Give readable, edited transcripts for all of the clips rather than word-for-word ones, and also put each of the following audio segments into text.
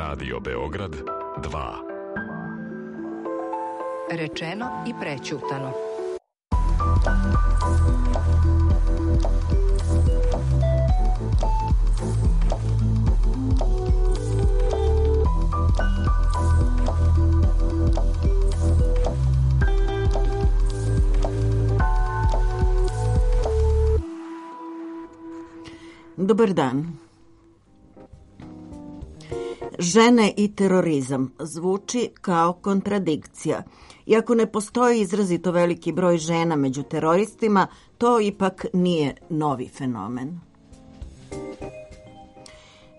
Radio Beograd 2. Rečeno i prećutano. Dobar dan. Žene i terorizam zvuči kao kontradikcija. Iako ne postoji izrazito veliki broj žena među teroristima, to ipak nije novi fenomen.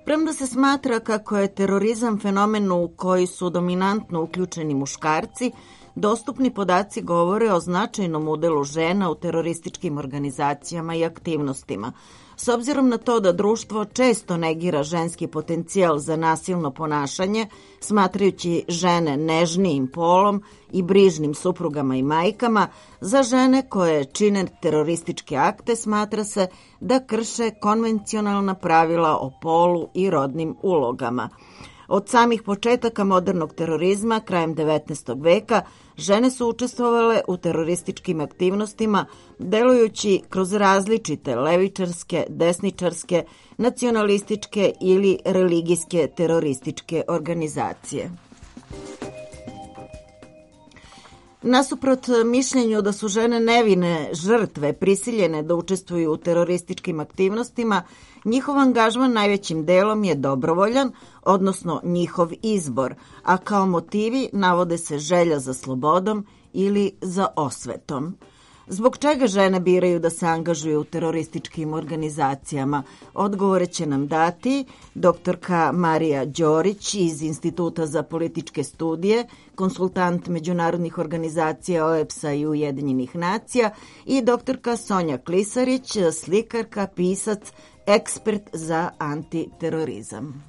Premda se smatra kako je terorizam fenomen u koji su dominantno uključeni muškarci, dostupni podaci govore o značajnom udelu žena u terorističkim organizacijama i aktivnostima. S obzirom na to da društvo često negira ženski potencijal za nasilno ponašanje, smatrajući žene nežnijim polom i brižnim suprugama i majkama, za žene koje čine terorističke akte smatra se da krše konvencionalna pravila o polu i rodnim ulogama. Od samih početaka modernog terorizma, krajem 19. veka, žene su učestvovale u terorističkim aktivnostima, delujući kroz različite levičarske, desničarske, nacionalističke ili religijske terorističke organizacije. Nasuprot mišljenju da su žene nevine žrtve prisiljene da učestvuju u terorističkim aktivnostima, njihov angažman najvećim delom je dobrovoljan, odnosno njihov izbor, a kao motivi navode se želja za slobodom ili za osvetom. Zbog čega žene biraju da se angažuju u terorističkim organizacijama? Odgovore će nam dati doktorka Marija Đorić iz Instituta za političke studije, konsultant međunarodnih organizacija OEBS-a i Ujedinjenih nacija i doktorka Sonja Klisarić, slikarka, pisac, ekspert za antiterorizam.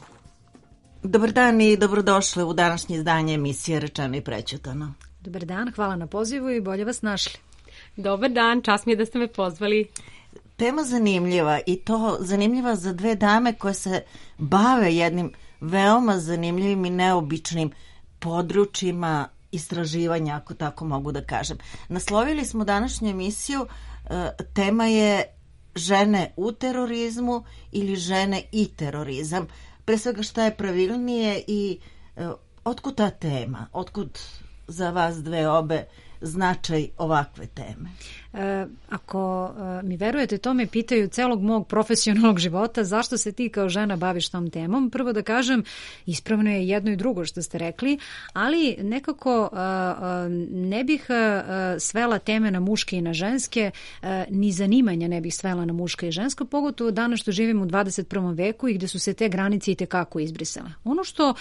Dobar dan i dobrodošli u današnje izdanje emisije Rečeno i prećutano. Dobar dan, hvala na pozivu i bolje vas našli. Dobar dan, čast mi je da ste me pozvali. Tema zanimljiva i to zanimljiva za dve dame koje se bave jednim veoma zanimljivim i neobičnim područjima istraživanja, ako tako mogu da kažem. Naslovili smo današnju emisiju, tema je žene u terorizmu ili žene i terorizam. Pre svega šta je pravilnije i otkud ta tema? Otkud za vas dve obe značaj ovakve teme? Ako mi verujete, to me pitaju celog mog profesionalnog života, zašto se ti kao žena baviš tom temom. Prvo da kažem, ispravno je jedno i drugo što ste rekli, ali nekako ne bih svela teme na muške i na ženske, ni zanimanja ne bih svela na muške i žensko, pogotovo danas što živimo u 21. veku i gde su se te granice i tekako izbrisale. Ono što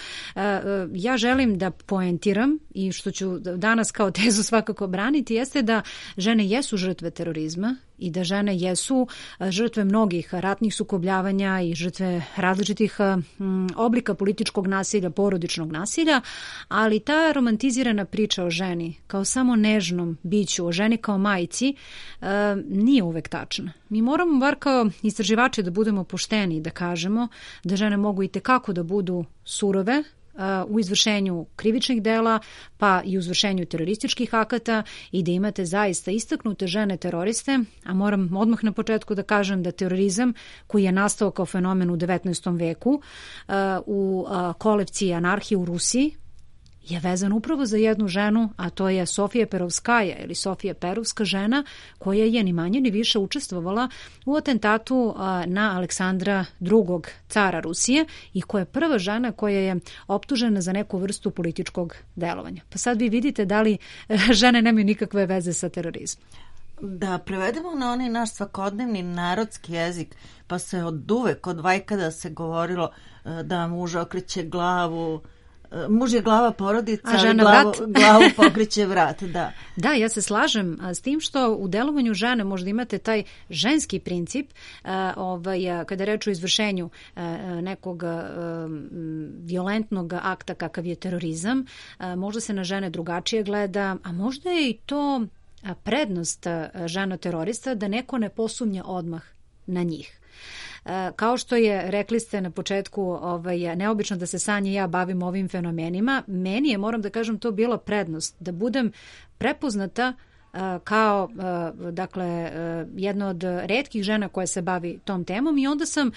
ja želim da poentiram i što ću danas kao tezu svakako braniti jeste da žene jesu žrtve terorizma i da žene jesu žrtve mnogih ratnih sukobljavanja i žrtve različitih oblika političkog nasilja, porodičnog nasilja, ali ta romantizirana priča o ženi kao samo nežnom biću, o ženi kao majci, nije uvek tačna. Mi moramo bar kao istraživači da budemo pošteni i da kažemo da žene mogu i tekako da budu surove u izvršenju krivičnih dela, pa i u izvršenju terorističkih akata i da imate zaista istaknute žene teroriste, a moram odmah na početku da kažem da terorizam koji je nastao kao fenomen u 19. veku u kolevci anarhije u Rusiji je vezan upravo za jednu ženu, a to je Sofija Perovskaja ili Sofija Perovska žena koja je ni manje ni više učestvovala u atentatu na Aleksandra II. Cara Rusije i koja je prva žena koja je optužena za neku vrstu političkog delovanja. Pa sad vi vidite da li žene nemaju nikakve veze sa terorizmom. Da prevedemo na onaj naš svakodnevni narodski jezik, pa se od uvek, od vajkada se govorilo da muž okreće glavu, muž je glava porodica, a žena glavu pokreće vrat. Da. Da, ja se slažem s tim što u delovanju žene možda imate taj ženski princip kada reč o izvršenju nekog violentnog akta kakav je terorizam, možda se na žene drugačije gleda, a možda je i to prednost žena terorista da neko ne posumnja odmah na njih. Kao što je, rekli ste na početku, neobično da se Sanja i ja bavim ovim fenomenima, meni je, moram da kažem, to bila prednost, da budem prepoznata kao, dakle, jedna od retkih žena koja se bavi tom temom i onda sam,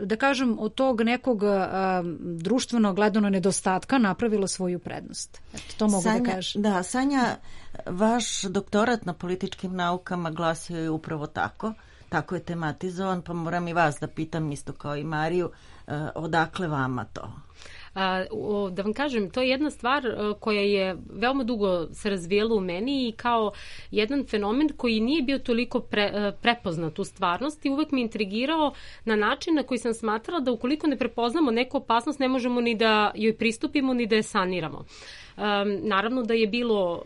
da kažem, od tog nekog društveno gledano nedostatka napravila svoju prednost. Eto, to mogu Sanja, da kažem. Da, Sanja, vaš doktorat na političkim naukama glasio je upravo tako je tematizovan, pa moram i vas da pitam isto kao i Mariju, odakle vama to? Da vam kažem, to je jedna stvar koja je veoma dugo se razvijela u meni i kao jedan fenomen koji nije bio toliko prepoznat u stvarnosti, uvek me intrigirao na način na koji sam smatrala da ukoliko ne prepoznamo neku opasnost ne možemo ni da joj pristupimo ni da je saniramo. Naravno da je bilo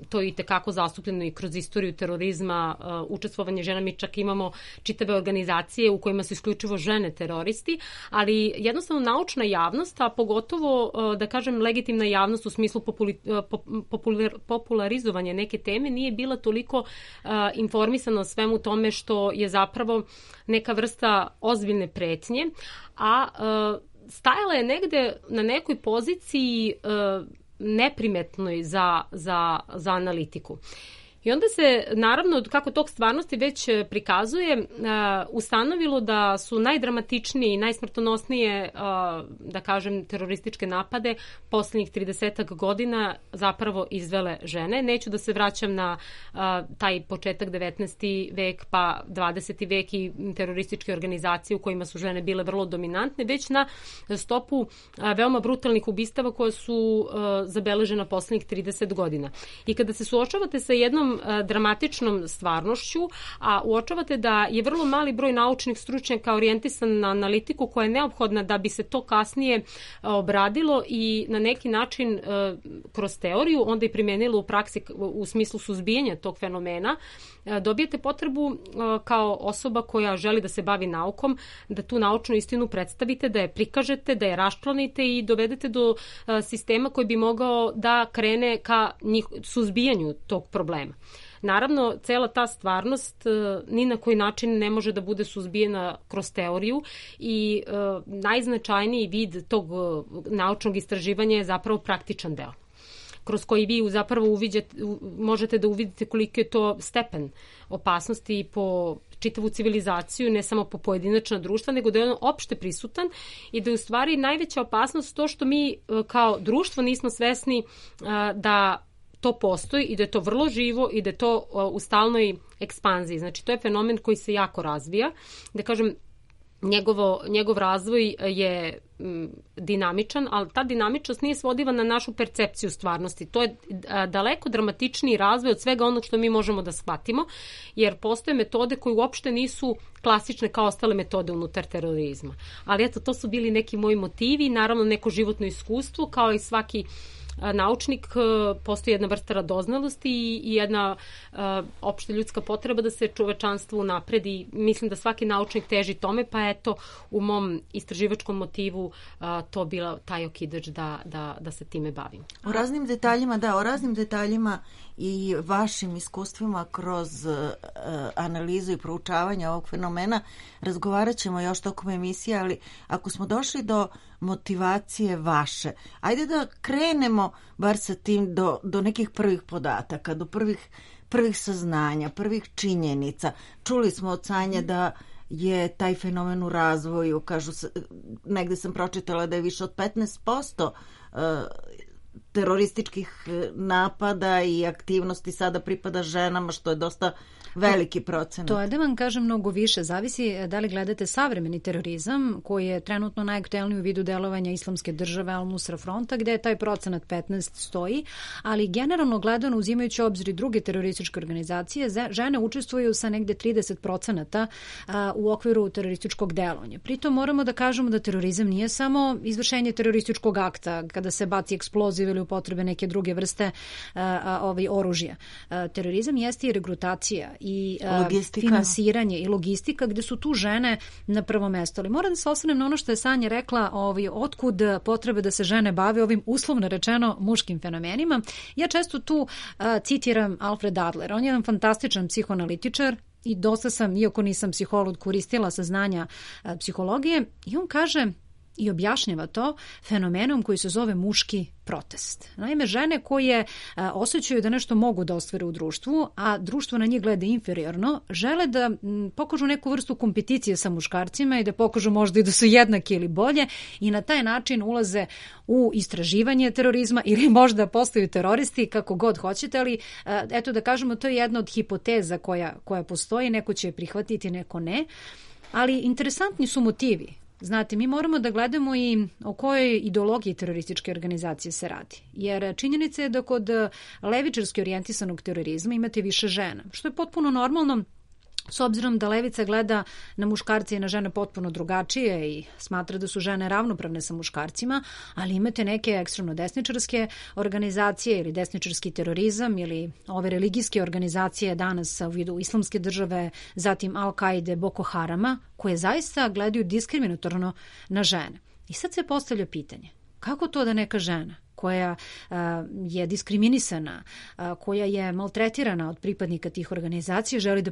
to i tekako zastupljeno i kroz istoriju terorizma, učestvovanje žena, mi čak imamo čitave organizacije u kojima su isključivo žene teroristi, ali jednostavno naučna javnost, a pogotovo da kažem legitimna javnost u smislu popularizovanja neke teme nije bila toliko informisana o svemu tome što je zapravo neka vrsta ozbiljne pretnje, a stajala je negde na nekoj poziciji neprimetnoj za analitiku. I onda se, naravno, kako tog stvarnosti već prikazuje, ustanovilo da su najdramatičnije i najsmrtonosnije, da kažem, terorističke napade poslednjih 30 godina zapravo izvele žene. Neću da se vraćam na taj početak 19. vek pa 20. vek i terorističke organizacije u kojima su žene bile vrlo dominantne, već na stopu veoma brutalnih ubistava koje su zabeležena poslednjih 30 godina. I kada se suočavate sa jednom dramatičnom stvarnošću, a uočavate da je vrlo mali broj naučnih stručnjaka orijentisan na analitiku koja je neophodna da bi se to kasnije obradilo i na neki način kroz teoriju onda i primenilo u praksi u smislu suzbijanja tog fenomena, dobijete potrebu kao osoba koja želi da se bavi naukom, da tu naučnu istinu predstavite, da je prikažete, da je raščlanite i dovedete do sistema koji bi mogao da krene ka suzbijanju tog problema. Naravno, cela ta stvarnost ni na koji način ne može da bude suzbijena kroz teoriju i najznačajniji vid tog naučnog istraživanja je zapravo praktičan deo, kroz koji vi zapravo možete da uvidite koliko je to stepen opasnosti po čitavu civilizaciju, ne samo po pojedinačna društva, nego da je on opšte prisutan i da je u stvari najveća opasnost to što mi kao društvo nismo svesni da to postoji i da je to vrlo živo i da je to u stalnoj ekspanziji. Znači, to je fenomen koji se jako razvija. Da kažem, njegov razvoj je dinamičan, ali ta dinamičnost nije svodiva na našu percepciju stvarnosti. To je daleko dramatičniji razvoj od svega onog što mi možemo da shvatimo, jer postoje metode koje uopšte nisu klasične kao ostale metode unutar terorizma. Ali eto, to su bili neki moji motivi, naravno neko životno iskustvo, kao i svaki naučnik, postoji jedna vrsta radoznalosti i jedna opšte ljudska potreba da se čovečanstvo unapredi. Mislim da svaki naučnik teži tome, pa eto u mom istraživačkom motivu to bila taj okidač da se time bavim. O raznim detaljima i vašim iskustvima kroz analizu i proučavanje ovog fenomena razgovarat ćemo još tokom emisije, ali ako smo došli do motivacije vaše, ajde da krenemo bar sa tim do nekih prvih podataka, do prvih saznanja, prvih činjenica. Čuli smo od Sanje da je taj fenomen u razvoju, kažu se, negde sam pročitala da je više od 15% terorističkih napada i aktivnosti sada pripada ženama, što je dosta veliki procenat. To je da vam kažem mnogo više. Zavisi da li gledate savremeni terorizam, koji je trenutno najaktuelniji u vidu delovanja Islamske države Al-Nusra fronta, gde je taj procenat 15 stoji, ali generalno gledano, uzimajući obzir i druge terorističke organizacije, žene učestvuju sa negde 30% u okviru terorističkog delovanja. Pritom moramo da kažemo da terorizam nije samo izvršenje terorističkog akta, kada se baci eksploziv ili upotrebe neke druge vrste oružja. Terorizam jeste i regrutacija i finansiranje i logistika, gde su tu žene na prvom mestu. Ali moram da se osvrnem na ono što je Sanja rekla, otkud potrebe da se žene bave ovim uslovno rečeno muškim fenomenima. Ja često tu citiram Alfred Adler. On je jedan fantastičan psihoanalitičar, i dosta sam, iako nisam psiholog, koristila saznanja psihologije, i on kaže i objašnjava to fenomenom koji se zove muški protest. Naime, žene koje osjećaju da nešto mogu da ostvare u društvu, a društvo na njih gleda inferiorno, žele da pokažu neku vrstu kompeticije sa muškarcima i da pokažu možda i da su jednaki ili bolje, i na taj način ulaze u istraživanje terorizma ili možda postaju teroristi, kako god hoćete, ali eto da kažemo, to je jedna od hipoteza koja postoji, neko će je prihvatiti, neko ne, ali interesantni su motivi. Znate, mi moramo da gledamo i o kojoj ideologiji terorističke organizacije se radi. Jer činjenica je da kod levičarski orijentisanog terorizma imate više žena, što je potpuno normalno, s obzirom da levica gleda na muškarce i na žene potpuno drugačije i smatra da su žene ravnopravne sa muškarcima, ali imate neke ekstremno desničarske organizacije ili desničarski terorizam ili ove religijske organizacije danas u vidu Islamske države, zatim Al-Kaide, Boko Harama, koje zaista gledaju diskriminatorno na žene. I sad se postavlja pitanje, kako to da neka žena koja je diskriminisana, koja je maltretirana od pripadnika tih organizacija, želi da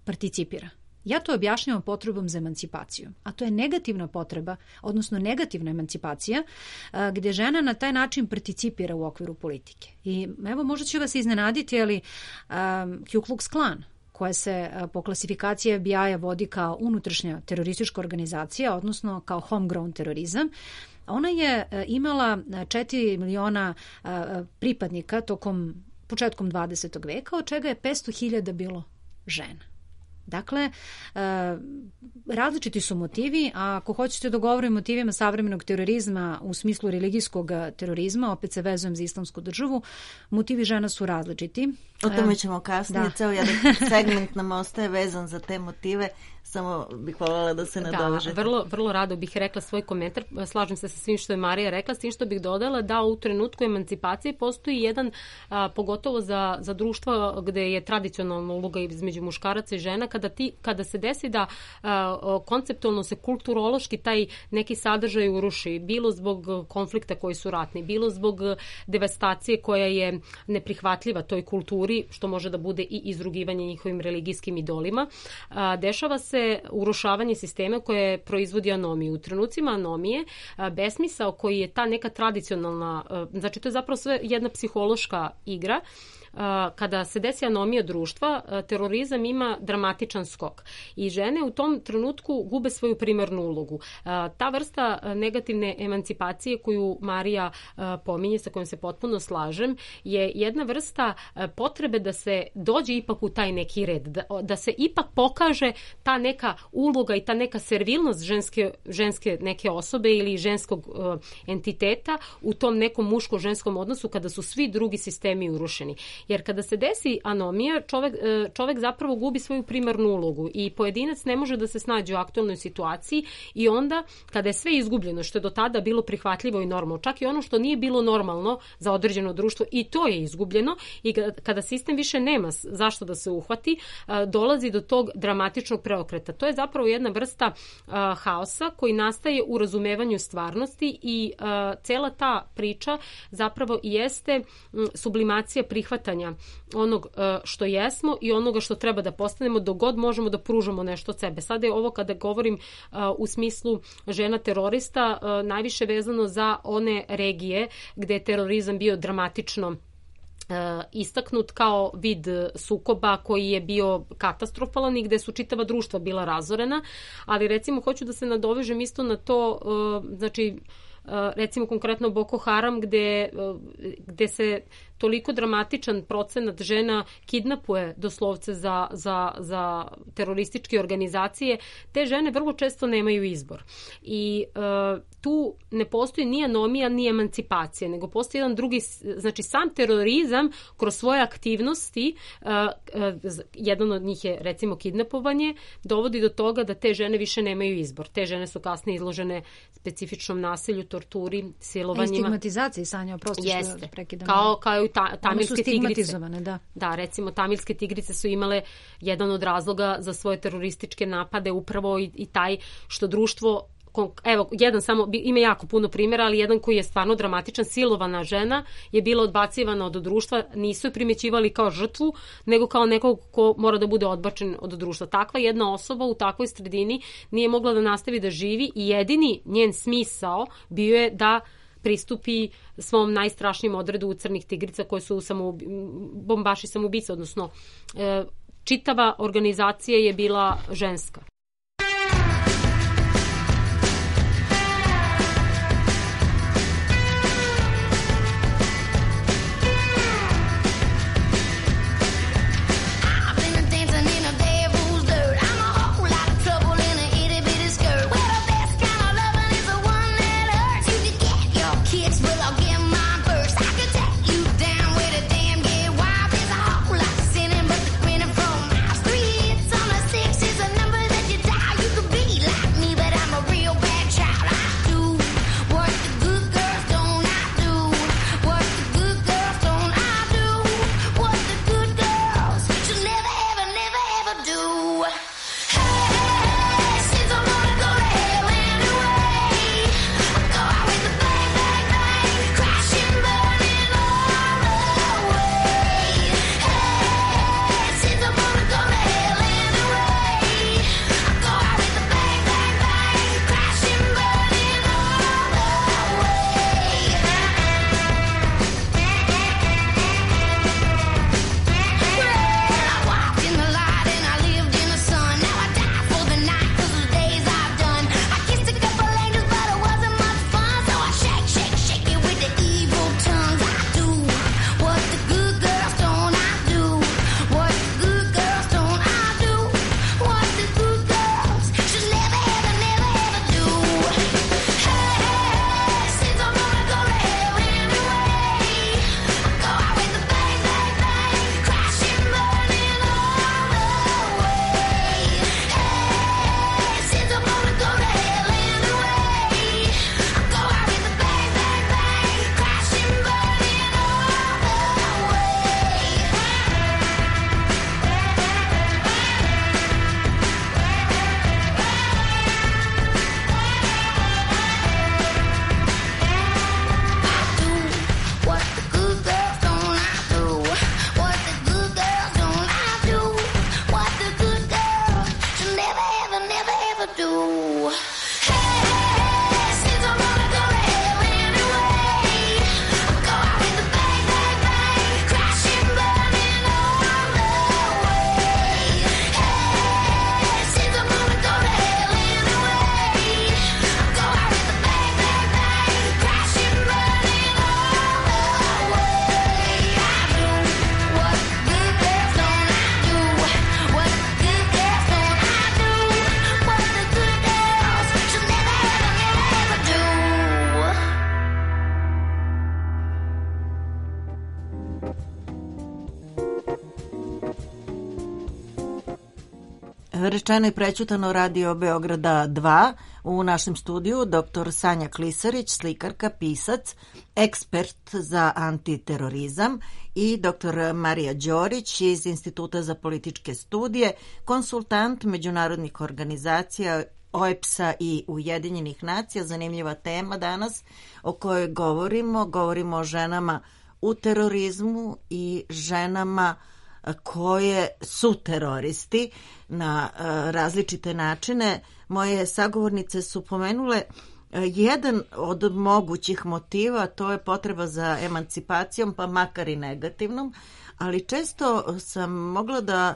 participira? Ja to objašnjavam potrebom za emancipaciju, a to je negativna potreba, odnosno negativna emancipacija, gdje žena na taj način participira u okviru politike. I evo, možda će vas iznenaditi, ali Ku Klux Klan, koja se po klasifikaciji FBI-a vodi kao unutrašnja teroristička organizacija, odnosno kao homegrown terorizam, ona je imala 4 miliona pripadnika početkom 20. veka, od čega je 500.000 bilo žena. Dakle, različiti su motivi, a ako hoćete da govorim o motivima savremenog terorizma u smislu religijskog terorizma, opet se vezujem za Islamsku državu, motivi žena su različiti. O tome ćemo kasnije, ceo jedan segment nam ostaje vezan za te motive, samo bih voljela da se nadovežete. Da, vrlo rado bih rekla svoj komentar, slažem se sa svim što je Marija rekla, s tim što bih dodala da u trenutku emancipacije postoji jedan, pogotovo za društva gde je tradicionalna uloga između muškaraca i žena, kada se desi da konceptualno se kulturološki taj neki sadržaj uruši, bilo zbog konflikta koji su ratni, bilo zbog devastacije koja je neprihvatljiva toj kulturi, što može da bude i izrugivanje njihovim religijskim idolima, dešava se urušavanje sistema koje proizvodi anomiju. U trenucima anomije, besmisao koji je ta neka tradicionalna, znači to je zapravo sve jedna psihološka igra, kada se desi anomija društva, terorizam ima dramatičan skok i žene u tom trenutku gube svoju primarnu ulogu. Ta vrsta negativne emancipacije koju Marija pominje, sa kojom se potpuno slažem, je jedna vrsta potrebe da se dođe ipak u taj neki red, da se ipak pokaže ta neka uloga i ta neka servilnost ženske neke osobe ili ženskog entiteta u tom nekom muško-ženskom odnosu kada su svi drugi sistemi urušeni. Jer kada se desi anomija, čovek zapravo gubi svoju primarnu ulogu i pojedinac ne može da se snađe u aktualnoj situaciji i onda kada je sve izgubljeno, što je do tada bilo prihvatljivo i normalno, čak i ono što nije bilo normalno za određeno društvo, i to je izgubljeno, i kada sistem više nema zašto da se uhvati, dolazi do tog dramatičnog preokreta. To je zapravo jedna vrsta haosa koji nastaje u razumevanju stvarnosti i cela ta priča zapravo jeste sublimacija prihvatanja onog što jesmo i onoga što treba da postanemo dok god možemo da pružamo nešto od sebe. Sada je ovo, kada govorim u smislu žena terorista, najviše vezano za one regije gde je terorizam bio dramatično istaknut kao vid sukoba koji je bio katastrofalan i gde su čitava društva bila razorena, ali recimo hoću da se nadovežem isto na to, znači recimo konkretno Boko Haram gde se toliko dramatičan procenat žena kidnapuje doslovce za terorističke organizacije, te žene vrlo često nemaju izbor. I tu ne postoji ni anomija, ni emancipacija, nego postoji jedan drugi, znači sam terorizam kroz svoje aktivnosti, jedan od njih je recimo kidnapovanje, dovodi do toga da te žene više nemaju izbor. Te žene su kasnije izložene specifičnom nasilju, torturi, silovanjima. I stigmatizaciji, Sanja, oprosti što prekidam. Kao i tamilske tigrice. Da, recimo tamilske tigrice su imale jedan od razloga za svoje terorističke napade upravo i taj što društvo evo, jedan samo, ima jako puno primjera, ali jedan koji je stvarno dramatičan, silovana žena je bila odbacivana od društva, nisu je primećivali kao žrtvu, nego kao nekog ko mora da bude odbačen od društva. Takva jedna osoba u takvoj sredini nije mogla da nastavi da živi i jedini njen smisao bio je da pristupi svom najstrašnijem odredu crnih tigrica koje su bombaši samoubice, odnosno čitava organizacija je bila ženska. Rečeno i prećutano, Radio Beograda 2. U našem studiju dr. Sanja Klisarić, slikarka, pisac, ekspert za antiterorizam, i dr. Marija Đorić iz Instituta za političke studije, konsultant međunarodnih organizacija OEBS-a i Ujedinjenih nacija. Zanimljiva tema danas o kojoj govorimo o ženama u terorizmu i ženama koje su teroristi na različite načine. Moje sagovornice su pomenule jedan od mogućih motiva, to je potreba za emancipacijom, pa makar i negativnom, ali često sam mogla da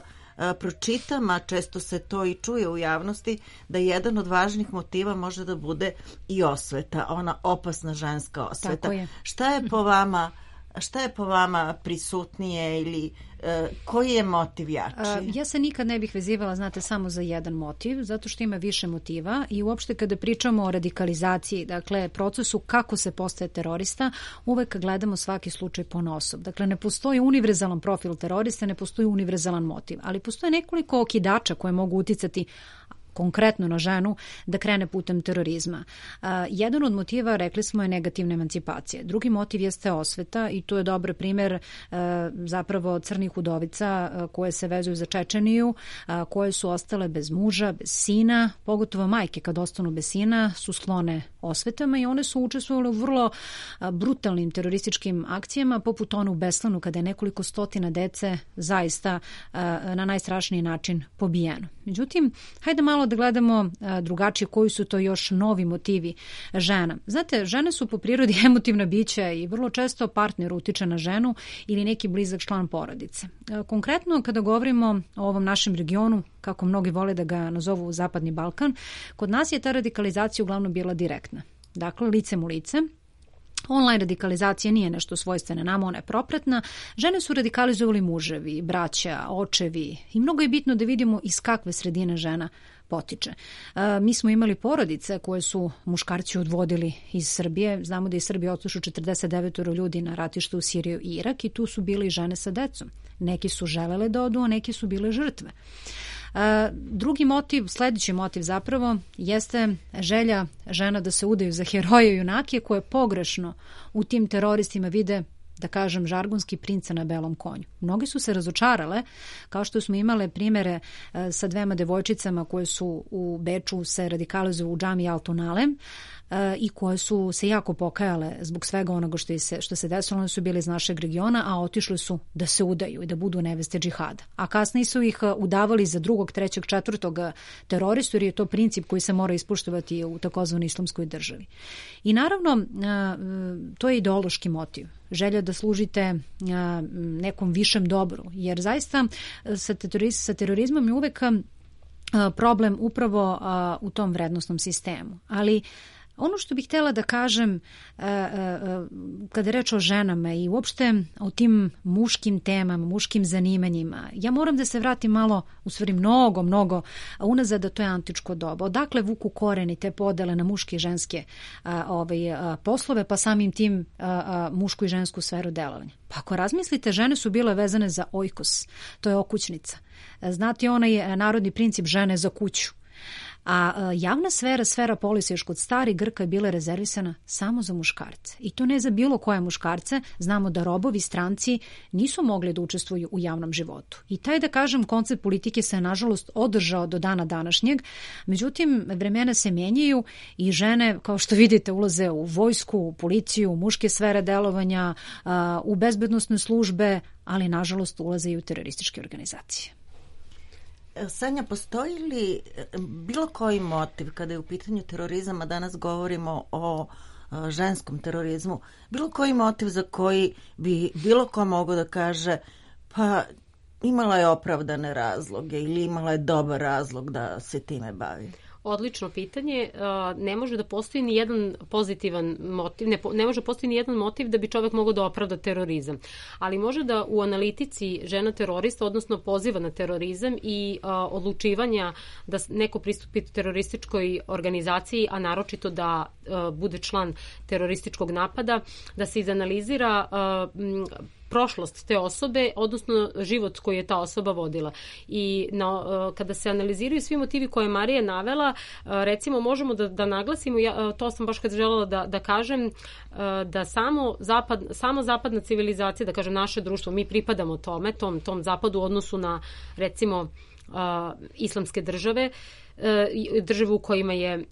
pročitam, a često se to i čuje u javnosti, da jedan od važnih motiva može da bude i osveta, ona opasna ženska osveta. Šta je po vama prisutnije ili koji je motiv jači? Ja se nikad ne bih vezivala, znate, samo za jedan motiv, zato što ima više motiva i uopšte kada pričamo o radikalizaciji, dakle procesu kako se postaje terorista, uvek gledamo svaki slučaj ponaosob. Dakle, ne postoji univerzalan profil terorista, ne postoji univerzalan motiv, ali postoje nekoliko okidača koje mogu uticati konkretno na ženu da krene putem terorizma. Jedan od motiva, rekli smo, je negativna emancipacija. Drugi motiv jeste osveta i tu je dobar primer zapravo crnih udovica koje se vezuju za Čečeniju, koje su ostale bez muža, bez sina, pogotovo majke kad ostanu bez sina su sklone osvetama i one su učestvovale u vrlo brutalnim terorističkim akcijama, poput one u Beslanu kada je nekoliko stotina dece zaista na najstrašniji način pobijeno. Međutim, hajde malo da gledamo drugačije koji su to još novi motivi žena. Znate, žene su po prirodi emotivna bića i vrlo često partner utiče na ženu ili neki blizak član porodice. Konkretno, kada govorimo o ovom našem regionu, kako mnogi vole da ga nazovu Zapadni Balkan, kod nas je ta radikalizacija uglavnom bila direktna. Dakle, licem u lice. Online radikalizacija nije nešto svojstvene nama, ona je propratna. Žene su radikalizovali muževi, braća, očevi i mnogo je bitno da vidimo iz kakve sredine žena potiče. Mi smo imali porodice koje su muškarci odvodili iz Srbije. Znamo da je Srbija otišlo 49 ljudi na ratište u Siriju i Irak i tu su bile i žene sa decom. Neki su želele da odu, a neki su bile žrtve. Drugi motiv, sledeći motiv zapravo, jeste želja žena da se udaju za heroje i junake koje pogrešno u tim teroristima vide, da kažem, žargonski princa na belom konju. Mnogi su se razočarale, kao što smo imale primere sa dvema devojčicama koje su u Beču se radikalizovale u džami Altunale i koje su se jako pokajale zbog svega onoga što se desilo. One su bile iz našeg regiona, a otišli su da se udaju i da budu neveste džihada. A kasnije su ih udavali za drugog, trećeg, četvrtog teroristu, jer je to princip koji se mora ispoštovati u takozvanoj islamskoj državi. I naravno, to je ideološki motiv. Želja da služite nekom višem dobru, jer zaista sa terorizmom je uvek problem upravo u tom vrednostnom sistemu. Ali ono što bih htjela da kažem kada je reč o ženama i uopšte o tim muškim temama, muškim zanimanjima, ja moram da se vratim malo, u stvari mnogo unazad, da to je antičko doba. Odakle vuku koreni te podele na muške i ženske poslove, pa samim tim mušku i žensku sferu delovanja? Pa ako razmislite, žene su bile vezane za oikos, to je okućnica. Znate onaj narodni princip žene za kuću. A javna sfera polisa još kod starih Grka je bila rezervisana samo za muškarce. I to ne za bilo koje muškarce. Znamo da robovi, stranci nisu mogli da učestvuju u javnom životu. I taj, da kažem, koncept politike se nažalost održao do dana današnjeg. Međutim, vremena se menjaju i žene, kao što vidite, ulaze u vojsku, u policiju, u muške sfere delovanja, u bezbednosne službe, ali nažalost ulaze i u terorističke organizacije. Sanja, postoji li bilo koji motiv kada je u pitanju terorizam, a danas govorimo o ženskom terorizmu, bilo koji motiv za koji bi bilo ko mogao da kaže pa imala je opravdane razloge ili imala je dobar razlog da se time bavi? Odlično pitanje. Ne može da postoji ni jedan pozitivan motiv, ne može postoji ni jedan motiv da bi čovjek mogao da opravda terorizam. Ali može da u analitici žena terorista, odnosno poziva na terorizam i odlučivanja da neko pristupi terorističkoj organizaciji, a naročito da bude član terorističkog napada, da se izanalizira prošlost te osobe, odnosno život koji je ta osoba vodila. I kada se analiziraju svi motivi koje je Marija navela, recimo možemo da naglasimo, to sam baš kad želela da kažem, da samo zapadna civilizacija, da kažem naše društvo, mi pripadamo tom zapadu u odnosu na recimo islamske države u kojima je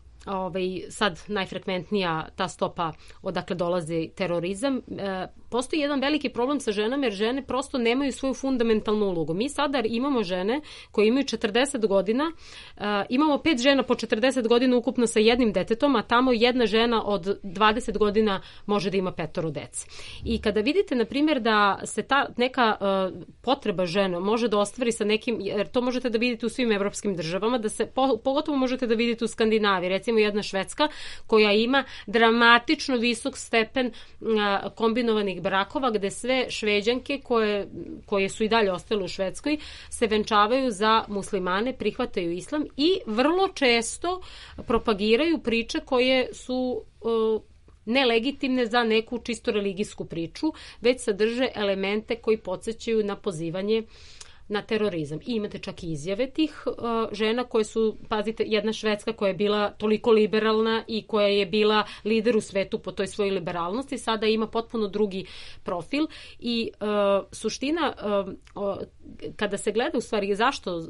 sad najfrekventnija ta stopa odakle dolazi terorizam. Postoji jedan veliki problem sa ženama jer žene prosto nemaju svoju fundamentalnu ulogu. Mi sada imamo žene koje imaju 40 godina, imamo 5 žena po 40 godina ukupno sa jednim detetom, a tamo jedna žena od 20 godina može da ima 5 dece. I kada vidite, na primjer, da se ta neka potreba žena može da ostvari sa nekim, jer to možete da vidite u svim evropskim državama, da se pogotovo možete da vidite u Skandinaviji, recimo jedna Švedska koja ima dramatično visok stepen kombinovanih brakova, gde sve Šveđanke koje su i dalje ostale u Švedskoj se venčavaju za muslimane, prihvataju islam i vrlo često propagiraju priče koje su nelegitimne za neku čisto religijsku priču, već sadrže elemente koji podsećaju na pozivanje na terorizam. I imate čak i izjave tih žena koje su, pazite, jedna Švedska koja je bila toliko liberalna i koja je bila lider u svetu po toj svojoj liberalnosti, sada ima potpuno drugi profil i suština kada se gleda u stvari zašto,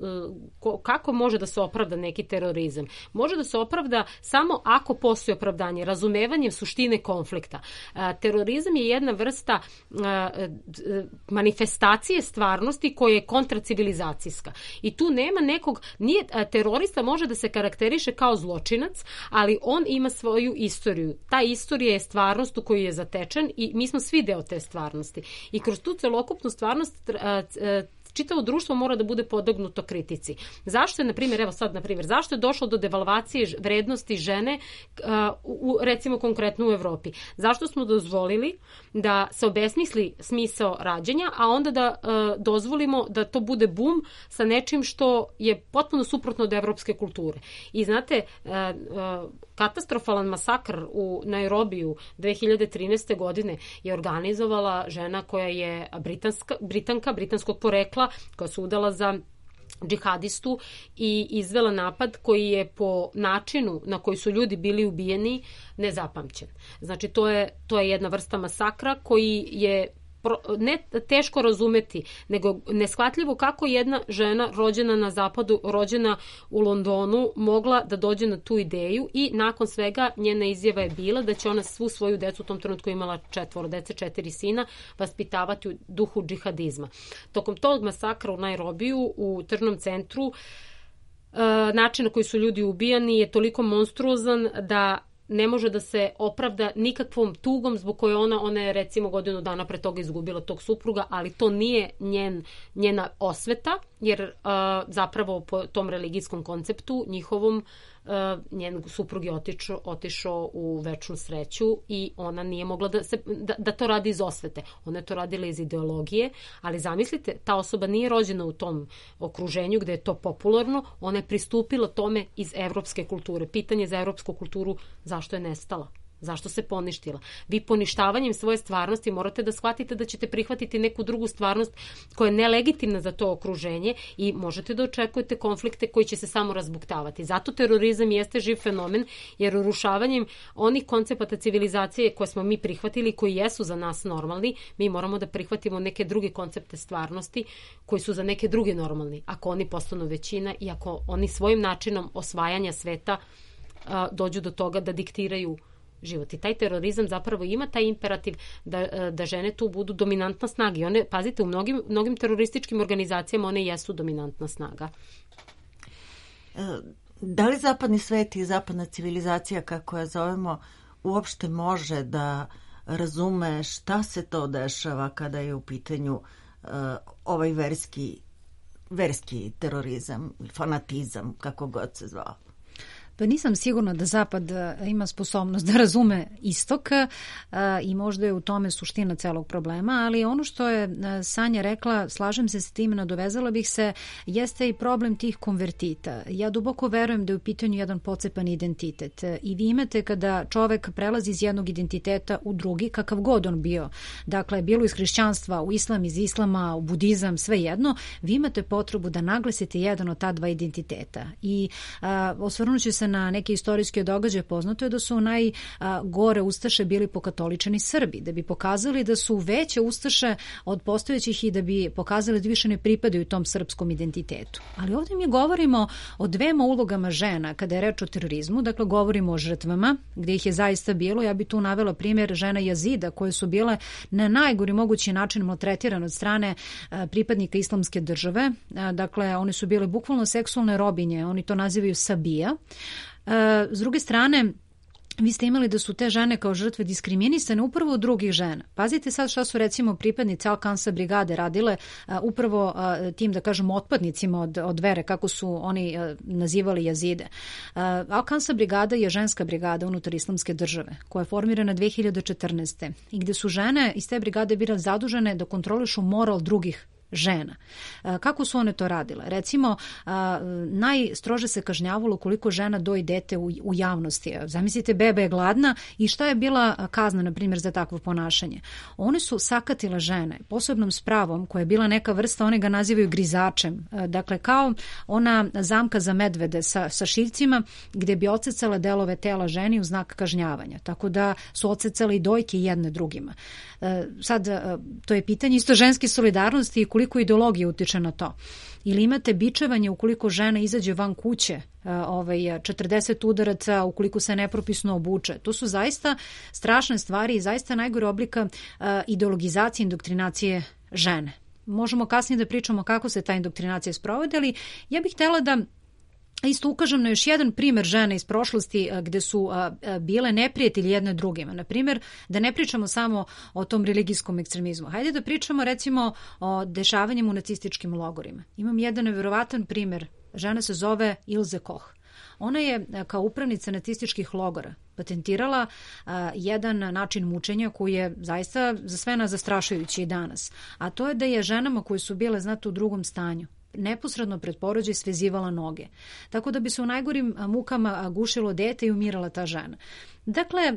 kako može da se opravda neki terorizam. Može da se opravda samo ako postoji opravdanje, razumevanjem suštine konflikta. Terorizam je jedna vrsta manifestacije stvarnosti koja je kontracivilizacijska. I tu nema nekog, terorista može da se karakteriše kao zločinac, ali on ima svoju istoriju. Ta istorija je stvarnost u koju je zatečen i mi smo svi deo te stvarnosti. I kroz tu celokupnu stvarnost čitavo društvo mora da bude podognuto kritici. Zašto je, na primjer, zašto je došlo do devalvacije vrednosti žene, recimo konkretno u Evropi? Zašto smo dozvolili da se obesmisli smisao rađanja, a onda da dozvolimo da to bude bum sa nečim što je potpuno suprotno od evropske kulture? I znate, katastrofalan masakr u Nairobiju 2013. godine je organizovala žena koja je Britanka, britanskog porekla, koja se udala za džihadistu i izvela napad koji je po načinu na koji su ljudi bili ubijeni nezapamćen. Znači, to je jedna vrsta masakra koji je ne teško razumeti, nego neshvatljivo kako jedna žena rođena na zapadu, rođena u Londonu, mogla da dođe na tu ideju i nakon svega njena izjava je bila da će ona svu svoju decu, u tom trenutku imala 4 dece, 4 sina, vaspitavati u duhu džihadizma. Tokom tog masakra u Nairobiju, u tržnom centru, način na koji su ljudi ubijani je toliko monstruozan da ne može da se opravda nikakvom tugom zbog koje ona je recimo godinu dana pre toga izgubila tog supruga, ali to nije njena osveta, jer zapravo po tom religijskom konceptu njihovom njen suprug je otišao u večnu sreću i ona nije mogla da to radi iz osvete. Ona je to radila iz ideologije, ali zamislite, ta osoba nije rođena u tom okruženju gde je to popularno, ona je pristupila tome iz evropske kulture. Pitanje za evropsku kulturu, zašto je nestala? Zašto se poništila? Vi poništavanjem svoje stvarnosti morate da shvatite da ćete prihvatiti neku drugu stvarnost koja je nelegitimna za to okruženje i možete da očekujete konflikte koji će se samo razbuktavati. Zato terorizam jeste živ fenomen, jer urušavanjem onih koncepata civilizacije koje smo mi prihvatili, koji jesu za nas normalni, mi moramo da prihvatimo neke druge koncepte stvarnosti koji su za neke druge normalni. Ako oni postanu većina i ako oni svojim načinom osvajanja sveta dođu do toga da diktiraju život. I taj terorizam zapravo ima taj imperativ da žene tu budu dominantna snaga. I one, pazite, u mnogim terorističkim organizacijama one jesu dominantna snaga. Da li zapadni svet i zapadna civilizacija, kako je zovemo, uopšte može da razume šta se to dešava kada je u pitanju ovaj verski terorizam, fanatizam, kako god se zvao? Pa nisam sigurna da Zapad ima sposobnost da razume istok i možda je u tome suština celog problema, ali ono što je Sanja rekla, slažem se s tim, nadovezala bih se, jeste i problem tih konvertita. Ja duboko verujem da je u pitanju jedan pocepan identitet i vi imate kada čovek prelazi iz jednog identiteta u drugi, kakav god on bio, dakle bilo iz hrišćanstva u islam, iz islama u budizam, sve jedno, vi imate potrebu da naglasite jedan od ta dva identiteta i osvrnuću se na neke istorijske događaje. Poznato je da su najgore ustaše bili pokatoličani Srbi, da bi pokazali da su veće ustaše od postojećih i da bi pokazali da više ne pripadaju tom srpskom identitetu. Ali ovdje mi govorimo o dvema ulogama žena kada je reč o terorizmu, dakle govorimo o žrtvama gdje ih je zaista bilo. Ja bi tu navela primjer žena Jazida koje su bile na najgori mogući način maltretirane od strane pripadnika islamske države. Dakle, one su bile bukvalno seksualne robinje, oni to nazivaju sabija. S druge strane, vi ste imali da su te žene kao žrtve diskriminisane upravo od drugih žena. Pazite sad šta su recimo pripadnice Al-Kansa brigade radile upravo tim, da kažem, otpadnicima od vere, kako su oni nazivali Jazide. Al-Kansa brigada je ženska brigada unutar islamske države koja je formirana 2014. i gde su žene iz te brigade bile zadužene da kontrolišu moral drugih žena. Kako su one to radile? Recimo, najstrože se kažnjavalo ukoliko žena doji dete u javnosti. Zamislite, beba je gladna i šta je bila kazna, na primjer, za takvo ponašanje? One su sakatile žene posebnom spravom koja je bila neka vrsta, one ga nazivaju grizačem. Dakle, kao ona zamka za medvede sa šiljcima gdje bi odsecala delove tela ženi u znak kažnjavanja. Tako da su odsecale i dojke jedne drugima. Sad, to je pitanje isto ženske solidarnosti i koliko ideologija utiče na to. Ili imate bičevanje ukoliko žena izađe van kuće, 40 udaraca ukoliko se nepropisno obuče. To su zaista strašne stvari i zaista najgore oblika ideologizacije, indoktrinacije žene. Možemo kasnije da pričamo kako se ta indoktrinacija sprovode, ali ja bih htjela da isto ukažem na još jedan primjer žene iz prošlosti gde su bile neprijatelji jedne drugima. Na primjer, da ne pričamo samo o tom religijskom ekstremizmu. Hajde da pričamo recimo o dešavanjima u nacističkim logorima. Imam jedan neverovatan primjer. Žena se zove Ilze Koch. Ona je kao upravnica nacističkih logora patentirala jedan način mučenja koji je zaista za sve nas zastrašujući i danas. A to je da je ženama koje su bile, znate, u drugom stanju, neposredno pred porođaj svezivala noge. Tako da bi se u najgorim mukama gušilo dete i umirala ta žena. Dakle,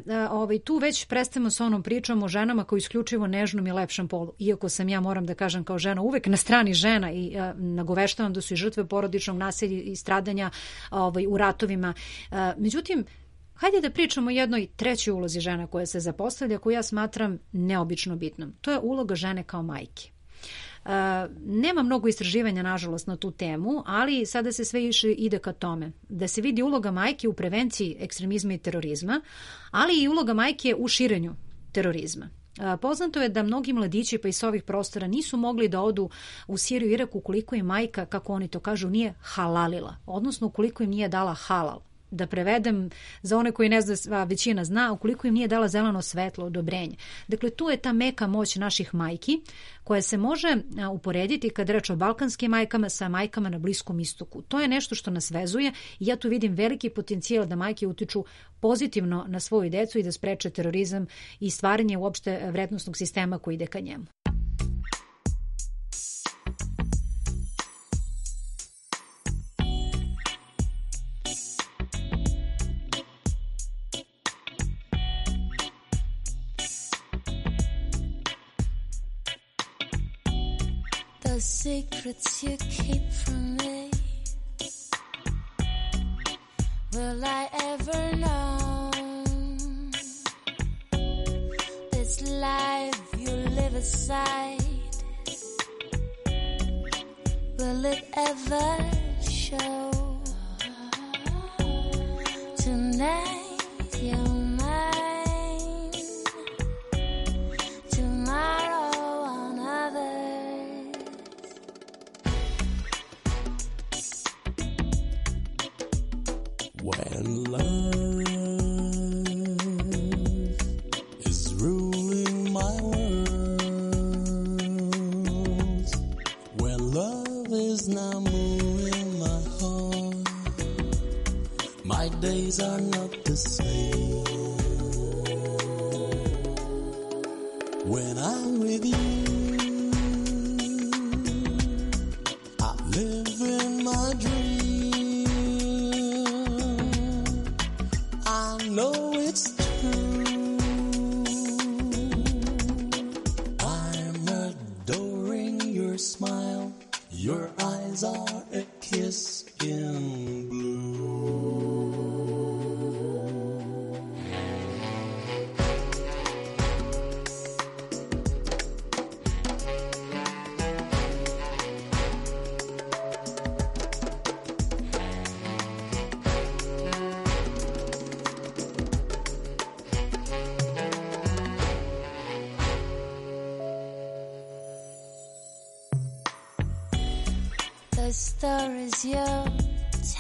tu već prestajemo sa onom pričom o ženama koji isključivo nežnom i lepšem polu. Iako sam ja, moram da kažem, kao žena uvek na strani žena i nagoveštavam da su i žrtve porodičnog nasilja i stradanja u ratovima. Međutim, hajde da pričamo o jednoj trećoj ulozi žena koja se zapostavlja, koju ja smatram neobično bitnom. To je uloga žene kao majke. Nema mnogo istraživanja, nažalost, na tu temu, ali sada se sve više ide ka tome da se vidi uloga majke u prevenciji ekstremizma i terorizma, ali i uloga majke u širenju terorizma. Poznato je da mnogi mladići pa i s ovih prostora nisu mogli da odu u Siriju i Irak ukoliko im majka, kako oni to kažu, nije halalila, odnosno ukoliko im nije dala halal. Da prevedem za one koji ne zna, većina zna, ukoliko im nije dala zeleno svetlo, odobrenje. Dakle, tu je ta meka moć naših majki koja se može uporediti kad reč o balkanskim majkama sa majkama na Bliskom istoku. To je nešto što nas vezuje i ja tu vidim veliki potencijal da majke utiču pozitivno na svoju decu i da spreče terorizam i stvaranje uopšte vrednosnog sistema koji ide ka njemu. The secrets you keep from me, will I ever know? This life you live aside, will it ever show? Tonight you're mine, tomorrow another. When love is ruling my world, when love is now moving my heart, my days are not the same. When I'm with you, I live in my dream. I know it's true. I'm adoring your smile. Your eyes are a kiss in blue. The stories you're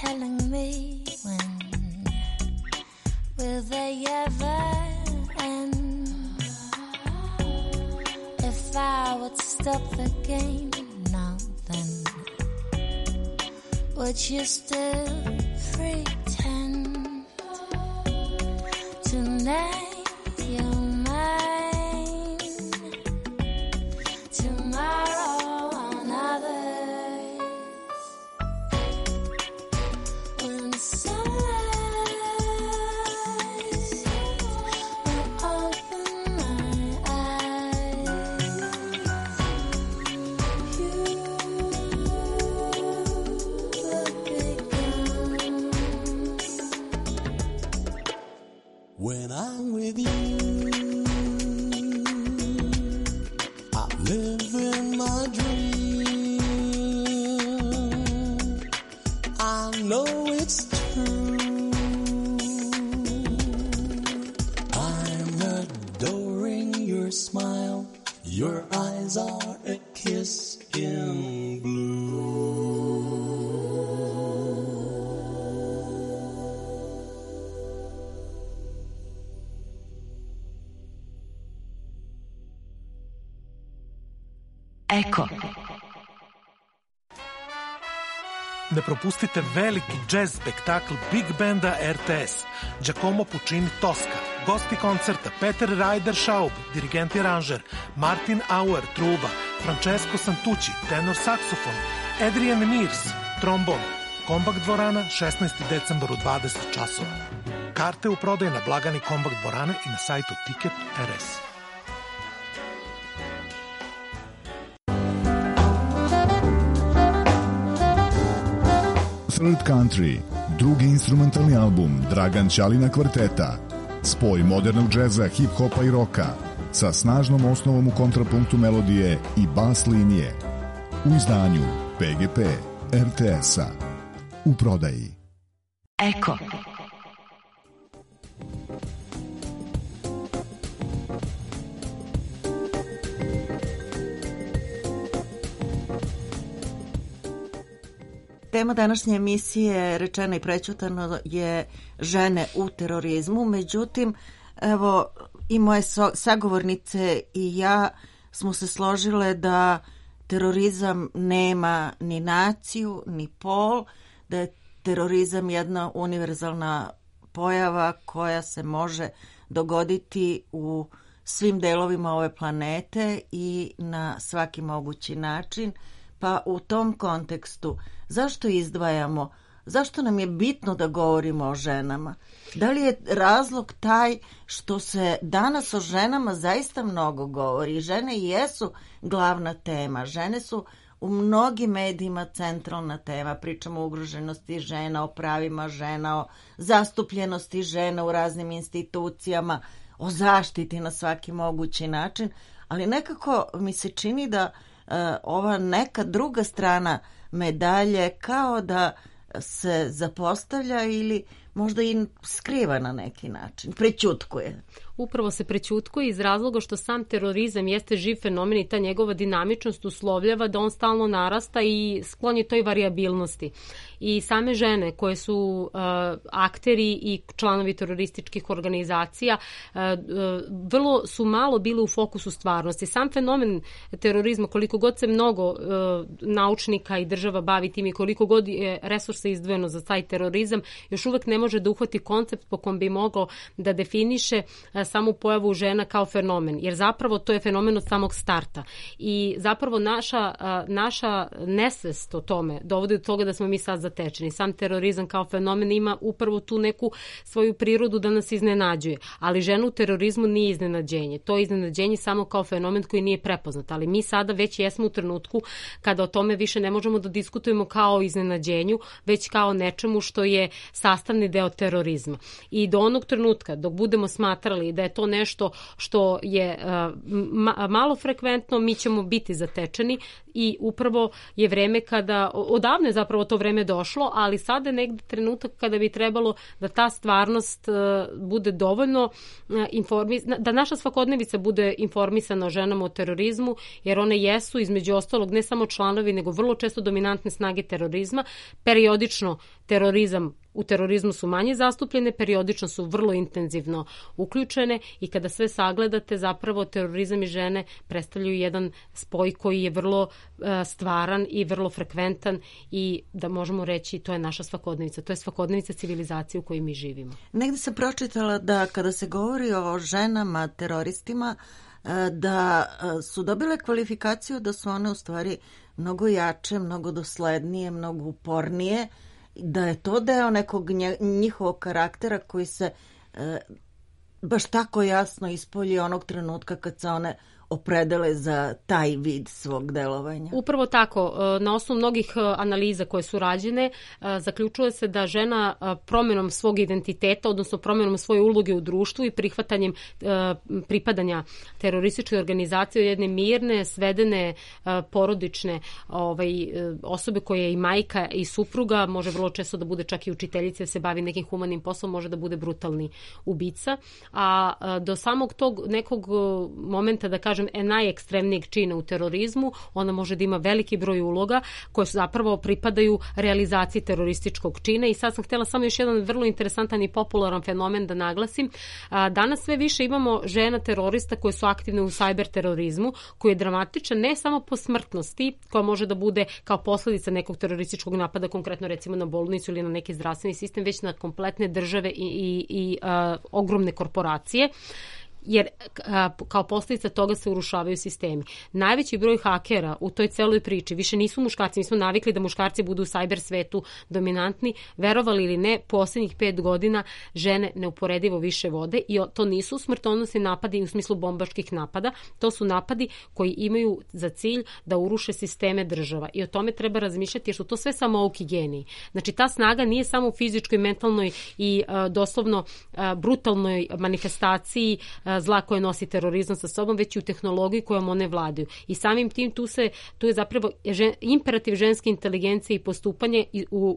telling me, when will they ever end? If I would stop the game now, then would you still pretend? Tonight you're mine, tomorrow Eko. Ne propustite veliki džez spektakl Big Banda RTS, Giacomo Puccini Tosca, gosti koncerta Peter Ryder Schaub, dirigent i aranžer, Martin Auer, truba, Francesco Santucci, tenor saksofon, Adrian Mears, trombon, Kombakt dvorana, 16. decembar u 20 časova. Karte u prodaju na blagani Kombakt dvorane i na sajtu Ticket.rs. Third Country, drugi instrumentalni album Dragan Ćalina kvarteta, spoj modernog džeza, hip-hopa i roka, sa snažnom osnovom u kontrapunktu melodije i bas linije. U izdanju PGP RTS-a. U prodaji. Eko. Tema današnje emisije Rečeno i prećutano je žene u terorizmu, međutim, evo i moje sagovornice i ja smo se složile da terorizam nema ni naciju, ni pol, da je terorizam jedna univerzalna pojava koja se može dogoditi u svim delovima ove planete i na svaki mogući način. Pa u tom kontekstu, zašto izdvajamo, zašto nam je bitno da govorimo o ženama? Da li je razlog taj što se danas o ženama zaista mnogo govori? Žene jesu glavna tema, žene su u mnogim medijima centralna tema. Pričamo o ugroženosti žena, o pravima žena, o zastupljenosti žena u raznim institucijama, o zaštiti na svaki mogući način, ali nekako mi se čini da ova neka druga strana medalje kao da se zapostavlja ili možda i skriva na neki način, prećutkuje. Upravo se prećutkuje iz razloga što sam terorizam jeste živ fenomen i ta njegova dinamičnost uslovljava da on stalno narasta i sklon je toj varijabilnosti. I same žene koje su akteri i članovi terorističkih organizacija vrlo su malo bile u fokusu stvarnosti. Sam fenomen terorizma, koliko god se mnogo naučnika i država bavi tim i koliko god je resursa izdvojeno za taj terorizam, još uvek ne može da uhvati koncept po kom bi mogao da definiše samu pojavu žena kao fenomen, jer zapravo to je fenomen od samog starta. I zapravo naša nesvest o tome dovodi do toga da smo mi sad zatečeni. Sam terorizam kao fenomen ima upravo tu neku svoju prirodu da nas iznenađuje, ali žena u terorizmu nije iznenađenje. To je iznenađenje samo kao fenomen koji nije prepoznat, ali mi sada već jesmo u trenutku kada o tome više ne možemo da diskutujemo kao o iznenađenju, već kao nečemu što je sastavni deo terorizma. I do onog trenutka dok budemo smatrali da je to nešto što je malo frekventno, mi ćemo biti zatečeni i upravo je vreme kada, odavno je zapravo to vreme došlo, ali sada je negde trenutak kada bi trebalo da ta stvarnost bude dovoljno da naša svakodnevica bude informisana o ženama o terorizmu, jer one jesu između ostalog ne samo članovi, nego vrlo često dominantne snage terorizma. Periodično u terorizmu su manje zastupljene, periodično su vrlo intenzivno uključene i kada sve sagledate, zapravo terorizam i žene predstavljaju jedan spoj koji je vrlo stvaran i vrlo frekventan i da možemo reći to je naša svakodnevica, to je svakodnevica civilizacije u kojoj mi živimo. Negde sam pročitala da kada se govori o ženama teroristima, da su dobile kvalifikaciju da su one u stvari mnogo jače, mnogo doslednije, mnogo upornije, da je to deo nekog njihovog karaktera koji se baš tako jasno ispolji onog trenutka kad se one opredele za taj vid svog delovanja. Upravo tako. Na osnovu mnogih analiza koje su rađene, zaključuje se da žena promjenom svog identiteta, odnosno promjenom svoje uloge u društvu i prihvatanjem pripadanja terorističke organizacije, jedne mirne, svedene, porodične osobe koja je i majka i supruga, može vrlo često da bude čak i učiteljica, se bavi nekim humanim poslom, može da bude brutalni ubica. A do samog tog nekog momenta, da kažem, kažem, najekstremnijeg čina u terorizmu, ona može da ima veliki broj uloga koje su zapravo pripadaju realizaciji terorističkog čina. I sad sam htjela samo još jedan vrlo interesantan i popularan fenomen da naglasim. Danas sve više imamo žena terorista koje su aktivne u cyber terorizmu, koji je dramatičan ne samo po smrtnosti, koja može da bude kao posljedica nekog terorističkog napada, konkretno recimo na bolnicu ili na neki zdravstveni sistem, već na kompletne države i ogromne korporacije, jer kao posljedica toga se urušavaju sistemi. Najveći broj hakera u toj celoj priči više nisu muškarci, mi smo navikli da muškarci budu u cyber svetu dominantni, verovali ili ne, posljednjih 5 godina žene neuporedivo više vode i to nisu smrtonosni napadi u smislu bombaških napada, to su napadi koji imaju za cilj da uruše sisteme država i o tome treba razmišljati jer su to sve samouki geniji. Znači ta snaga nije samo u fizičkoj, mentalnoj i doslovno brutalnoj manifestaciji zla koje nosi terorizam sa sobom, već i u tehnologiji kojom one vladaju. I samim tim tu je zapravo imperativ ženske inteligencije i postupanje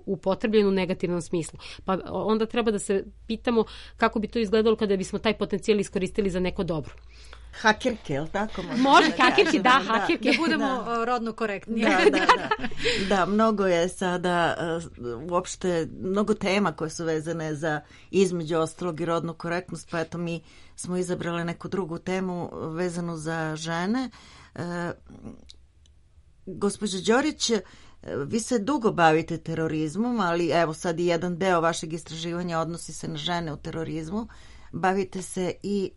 upotrebljeno u negativnom smislu. Pa onda treba da se pitamo kako bi to izgledalo kada bismo taj potencijal iskoristili za neko dobro. Hakerke, je li tako? Može, hakerke, da, hakerke. Da budemo rodno korektni. Da, mnogo je sada uopšte, mnogo tema koje su vezane za između ostalog i rodnu korektnost, pa eto mi smo izabrali neku drugu temu vezanu za žene. Gospođo Đorić, vi se dugo bavite terorizmom, ali evo sad i jedan deo vašeg istraživanja odnosi se na žene u terorizmu. Bavite se i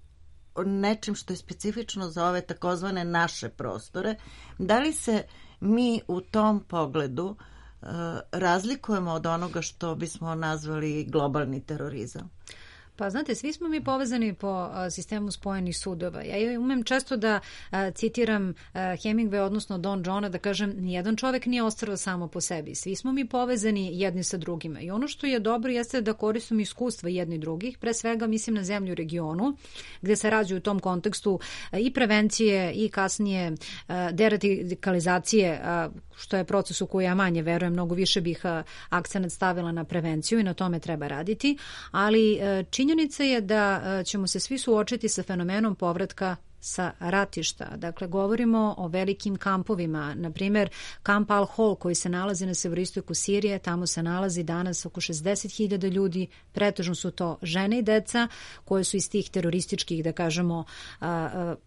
nečim što je specifično za ove takozvane naše prostore. Da li se mi u tom pogledu razlikujemo od onoga što bismo nazvali globalni terorizam? Pa znate, svi smo mi povezani po sistemu spojenih sudova. Ja umem često da citiram Hemingway, odnosno Don Johna, da kažem, nijedan čovek nije ostrvo samo po sebi. Svi smo mi povezani jedni sa drugima. I ono što je dobro jeste da koristimo iskustva jedni drugih, pre svega mislim na zemlju u regionu, gde se rađe u tom kontekstu i prevencije i kasnije deradikalizacije, što je proces u koji ja manje verujem, mnogo više bih akcenat stavila na prevenciju i na tome treba raditi, ali činjenica je da ćemo se svi suočiti sa fenomenom povratka sa ratišta. Dakle, govorimo o velikim kampovima. Na primjer, kamp Al-Hol koji se nalazi na severoistoku Sirije, tamo se nalazi danas oko 60.000 ljudi, pretežno su to žene i deca koje su iz tih terorističkih, da kažemo,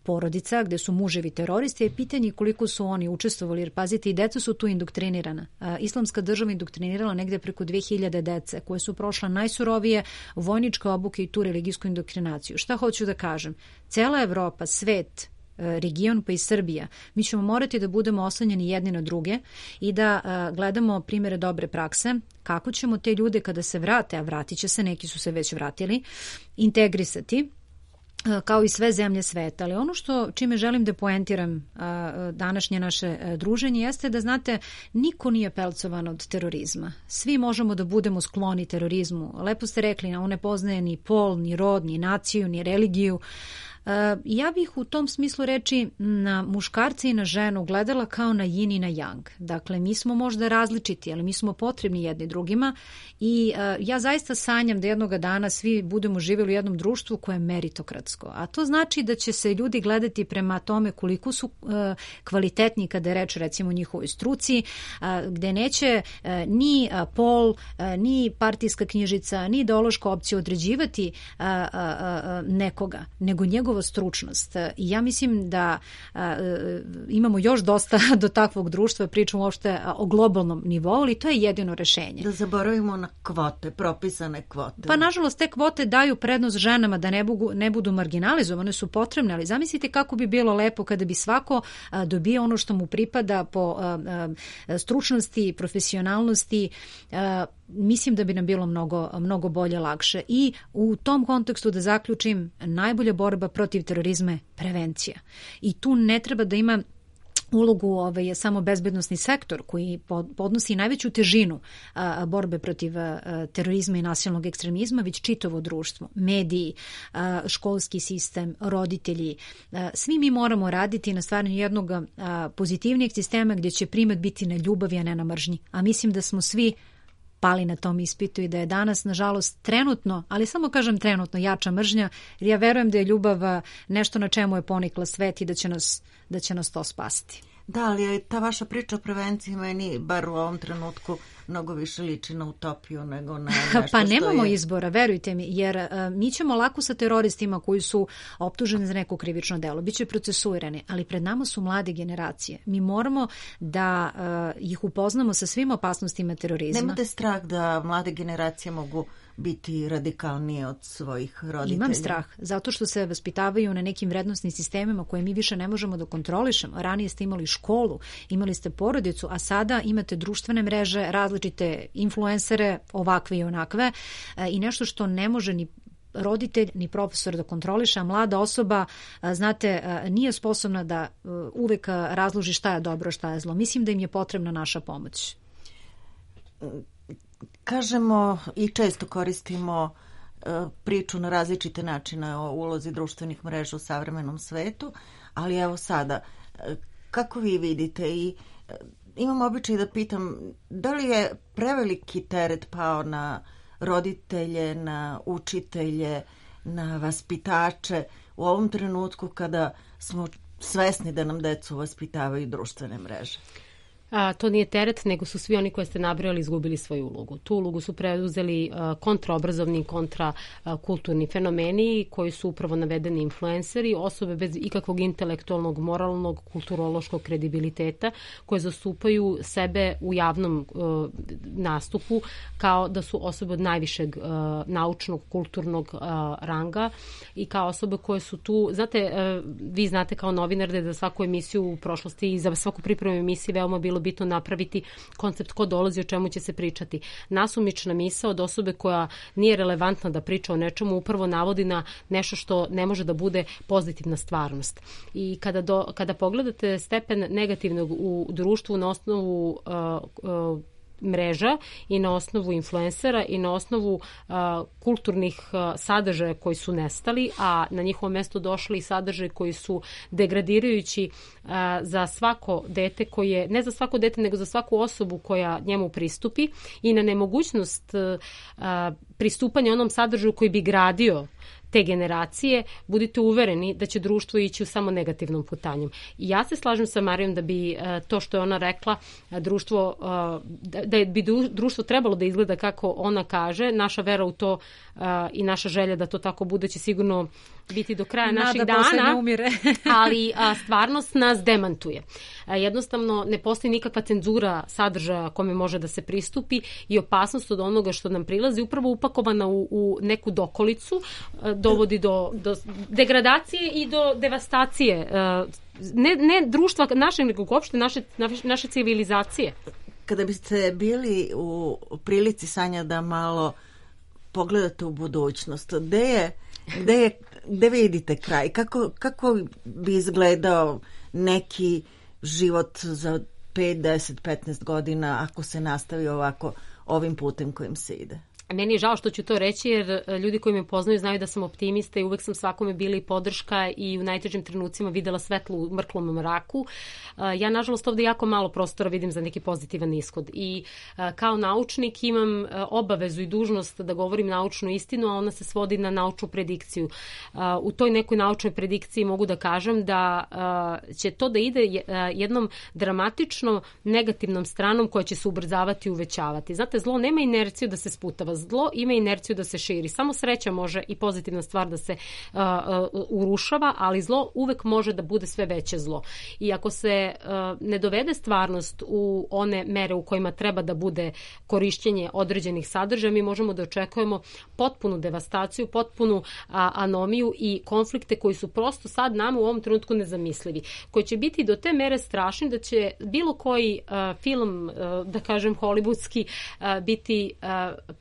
porodica, gde su muževi teroristi, je pitanje koliko su oni učestvovali, jer pazite, i deca su tu indoktrinirana. Islamska država indoktrinirala negde preko 2000 dece koje su prošla najsurovije vojničke obuke i tu religijsku indoktrinaciju. Šta hoću da kažem? Cela Evropa, svet, region pa i Srbija, mi ćemo morati da budemo oslanjeni jedni na druge i da gledamo primjere dobre prakse, kako ćemo te ljude kada se vrate, a vratit će se, neki su se već vratili, integrisati kao i sve zemlje sveta. Ali ono čime želim da poentiram današnje naše druženje jeste da, znate, niko nije pelcovan od terorizma. Svi možemo da budemo skloni terorizmu. Lepo ste rekli, on ne poznaje ni pol, ni rod, ni naciju, ni religiju. Ja bih u tom smislu reči na muškarce i na ženu gledala kao na yin i na yang. Dakle, mi smo možda različiti, ali mi smo potrebni jedni drugima i ja zaista sanjam da jednoga dana svi budemo živjeli u jednom društvu koje je meritokratsko. A to znači da će se ljudi gledati prema tome koliko su kvalitetni kada je reč recimo o njihovoj struci, gde neće ni pol, ni partijska knjižica, ni ideološka opcija određivati nekoga, nego njegova stručnost. I ja mislim da imamo još dosta do takvog društva, pričamo uopšte o globalnom nivou, ali to je jedino rešenje. Da zaboravimo na kvote, propisane kvote. Pa nažalost te kvote daju prednost ženama da ne budu marginalizovane, su potrebne, ali zamislite kako bi bilo lepo kada bi svako dobio ono što mu pripada po stručnosti, profesionalnosti. Mislim da bi nam bilo mnogo bolje, lakše. I u tom kontekstu da zaključim, najbolja borba protiv terorizma je prevencija. I tu ne treba da ima ulogu je samo bezbednosni sektor koji podnosi najveću težinu borbe protiv terorizma i nasilnog ekstremizma, već čitavo društvo, mediji, školski sistem, roditelji. Svi mi moramo raditi na stvaranju jednog pozitivnijeg sistema gdje će primat biti na ljubavi, a ne na mržnji. A mislim da smo svi pali na tom ispitu i da je danas, nažalost, trenutno, ali samo kažem trenutno, jača mržnja, jer ja verujem da je ljubav nešto na čemu je ponikla svet i da će nas to spasiti. Da, ali je ta vaša priča o prevenciji meni, bar u ovom trenutku, mnogo više liči na utopiju nego na nešto pa nemamo izbora, verujte mi, jer mi ćemo lako sa teroristima koji su optuženi za neko krivično delo, bit će procesuirani, ali pred nama su mlade generacije. Mi moramo da ih upoznamo sa svim opasnostima terorizma. Nemate strah da mlade generacije mogu biti radikalnije od svojih roditelja? Imam strah, zato što se vaspitavaju na nekim vrednostnim sistemima koje mi više ne možemo da kontrolišemo. Ranije ste imali školu, imali ste porodicu, a sada imate društvene mreže, različite influencere, ovakve i onakve, i nešto što ne može ni roditelj ni profesor da kontroliše, a mlada osoba, znate, nije sposobna da uvek razloži šta je dobro, šta je zlo. Mislim da im je potrebna naša pomoć. Kažemo i često koristimo priču na različite načine o ulozi društvenih mreža u savremenom svetu, ali evo sada, kako vi vidite, i imam običaj da pitam, da li je preveliki teret pao na roditelje, na učitelje, na vaspitače u ovom trenutku kada smo svesni da nam decu vaspitavaju društvene mreže? To nije teret, nego su svi oni koje ste nabrojali izgubili svoju ulogu. Tu ulogu su preuzeli kontraobrazovni, kontrakulturni fenomeni koji su upravo navedeni influenceri, osobe bez ikakvog intelektualnog, moralnog, kulturološkog kredibiliteta koje zastupaju sebe u javnom nastupu kao da su osobe od najvišeg naučnog, kulturnog ranga i kao osobe koje su tu, znate, vi znate kao novinar da za svaku emisiju u prošlosti i za svaku pripremu emisije veoma bilo bitno napraviti koncept ko dolazi, o čemu će se pričati. Nasumična misao od osobe koja nije relevantna da priča o nečemu upravo navodi na nešto što ne može da bude pozitivna stvarnost. I kada pogledate stepen negativnog u društvu na osnovu mreža i na osnovu influencera i na osnovu kulturnih sadržaja koji su nestali, a na njihovo mesto došli i sadržaje koji su degradirajući za svako dete koje, ne za svako dete, nego za svaku osobu koja njemu pristupi i na nemogućnost pristupanja onom sadržaju koji bi gradio te generacije, budite uvereni da će društvo ići u samo negativnom putanjem. I ja se slažem sa Marijom da bi to što je ona rekla, da bi društvo trebalo da izgleda kako ona kaže. Naša vera u to i naša želja da to tako bude će sigurno biti do kraja naših dana, ali stvarnost nas demantuje. Jednostavno ne postoji nikakva cenzura sadržaja kome može da se pristupi i opasnost od onoga što nam prilazi upravo upakovana u neku dokolicu dovodi do degradacije i do devastacije ne društva našeg, nego uopšte naše civilizacije. Kada biste bili u prilici, Sanja, da malo pogledate u budućnost, gde vidite kraj? Kako bi izgledao neki život za 5, 10, 15 godina ako se nastavi ovako ovim putem kojim se ide? Meni je žao što ću to reći, jer ljudi koji me poznaju znaju da sam optimista i uvek sam svakome bila i podrška i u najtežim trenucima videla svetlo u mrklom mraku. Ja, nažalost, ovde jako malo prostora vidim za neki pozitivan ishod i kao naučnik imam obavezu i dužnost da govorim naučnu istinu, a ona se svodi na naučnu predikciju. U toj nekoj naučnoj predikciji mogu da kažem da će to da ide jednom dramatično negativnom stranom koja će se ubrzavati i uvećavati. Znate, zlo nema inerciju da se sputava. Zlo ima inerciju da se širi. Samo sreća može i pozitivna stvar da se urušava, ali zlo uvek može da bude sve veće zlo. I ako se ne dovede stvarnost u one mere u kojima treba da bude korišćenje određenih sadržaja, mi možemo da očekujemo potpunu devastaciju, potpunu anomiju i konflikte koji su prosto sad nama u ovom trenutku nezamislivi, koji će biti do te mere strašni da će bilo koji film, da kažem hollywoodski, biti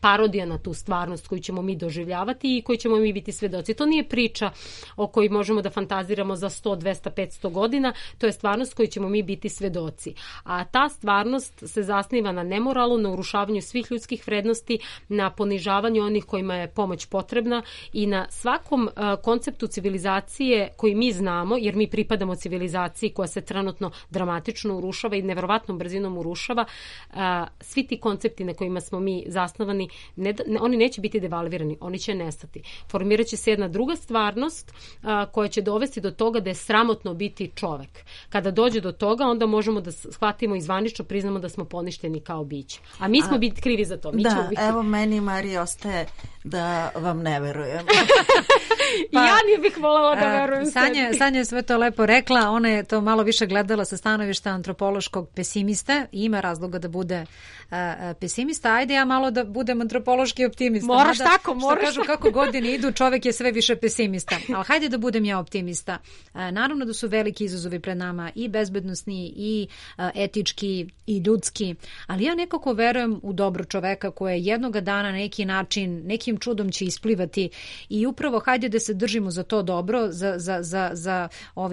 parodija parodija na tu stvarnost koju ćemo mi doživljavati i koju ćemo mi biti svedoci. To nije priča o kojoj možemo da fantaziramo za 100, 200, 500 godina, to je stvarnost koju ćemo mi biti svedoci. A ta stvarnost se zasniva na nemoralu, na urušavanju svih ljudskih vrednosti, na ponižavanju onih kojima je pomoć potrebna i na svakom konceptu civilizacije koji mi znamo, jer mi pripadamo civilizaciji koja se trenutno dramatično urušava i neverovatnom brzinom urušava, svi ti koncepti na kojima smo mi zasnovani, oni neće biti devalvirani, oni će nestati. Formirat će se jedna druga stvarnost koja će dovesti do toga da je sramotno biti čovek. Kada dođe do toga, onda možemo da shvatimo i zvanično priznamo da smo poništeni kao biće. A mi smo biti krivi za to. Evo meni, Marija, ostaje da vam ne verujem. Pa, ja nije bih voljela da verujem Sanja je sve to lepo rekla, ona je to malo više gledala sa stanovišta antropološkog pesimista i ima razloga da bude pesimista. Ajde ja malo da budem antropološki optimista. Moraš tako, moraš. Što kažu, kako godine idu, čovek je sve više pesimista. Ali hajde da budem ja optimista. Naravno da su veliki izazovi pred nama i bezbednosni i etički i ljudski, ali ja nekako verujem u dobro čoveka koje jednoga dana na neki način, nekim čudom će isplivati i upravo hajde da se držimo za to dobro, za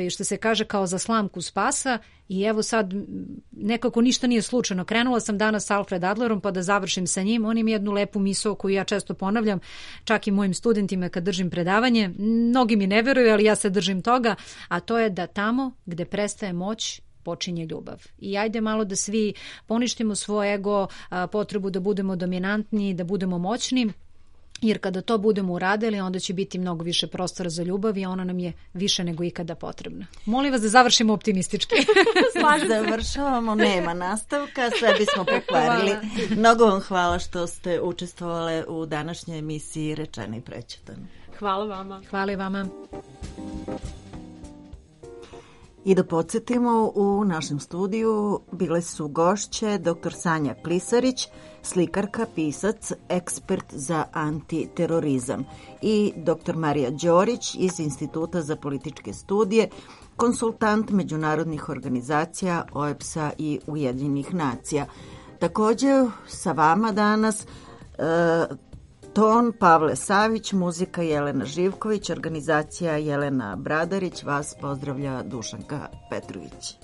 što se kaže kao za slamku spasa. I evo sad nekako ništa nije slučajno. Krenula sam danas sa Alfred Adlerom pa da završim sa njim. On ima jednu lepu misao koju ja često ponavljam, čak i mojim studentima kad držim predavanje. Mnogi mi ne veruju, ali ja se držim toga, a to je da tamo gde prestaje moć, počinje ljubav. I ajde malo da svi poništimo svoj ego, potrebu da budemo dominantni, da budemo moćni, jer kada to budemo uradili, onda će biti mnogo više prostora za ljubav i ona nam je više nego ikada potrebna. Molim vas da završimo optimistički. Završavamo, nema nastavka, sve bismo pokvarili. Mnogo vam hvala što ste učestvovali u današnjoj emisiji Rečeno i prećutano. Hvala vama. Hvala i vama. I da podsjetimo, u našem studiju bile su gošće dr. Sanja Plisarić, slikarka, pisac, ekspert za antiterorizam, i dr. Marija Đorić iz Instituta za političke studije, konsultant međunarodnih organizacija OEBS-a i Ujedinjenih nacija. Također sa vama danas ton Pavle Savić, muzika Jelena Živković, organizacija Jelena Bradarić, vas pozdravlja Dušanka Petrović.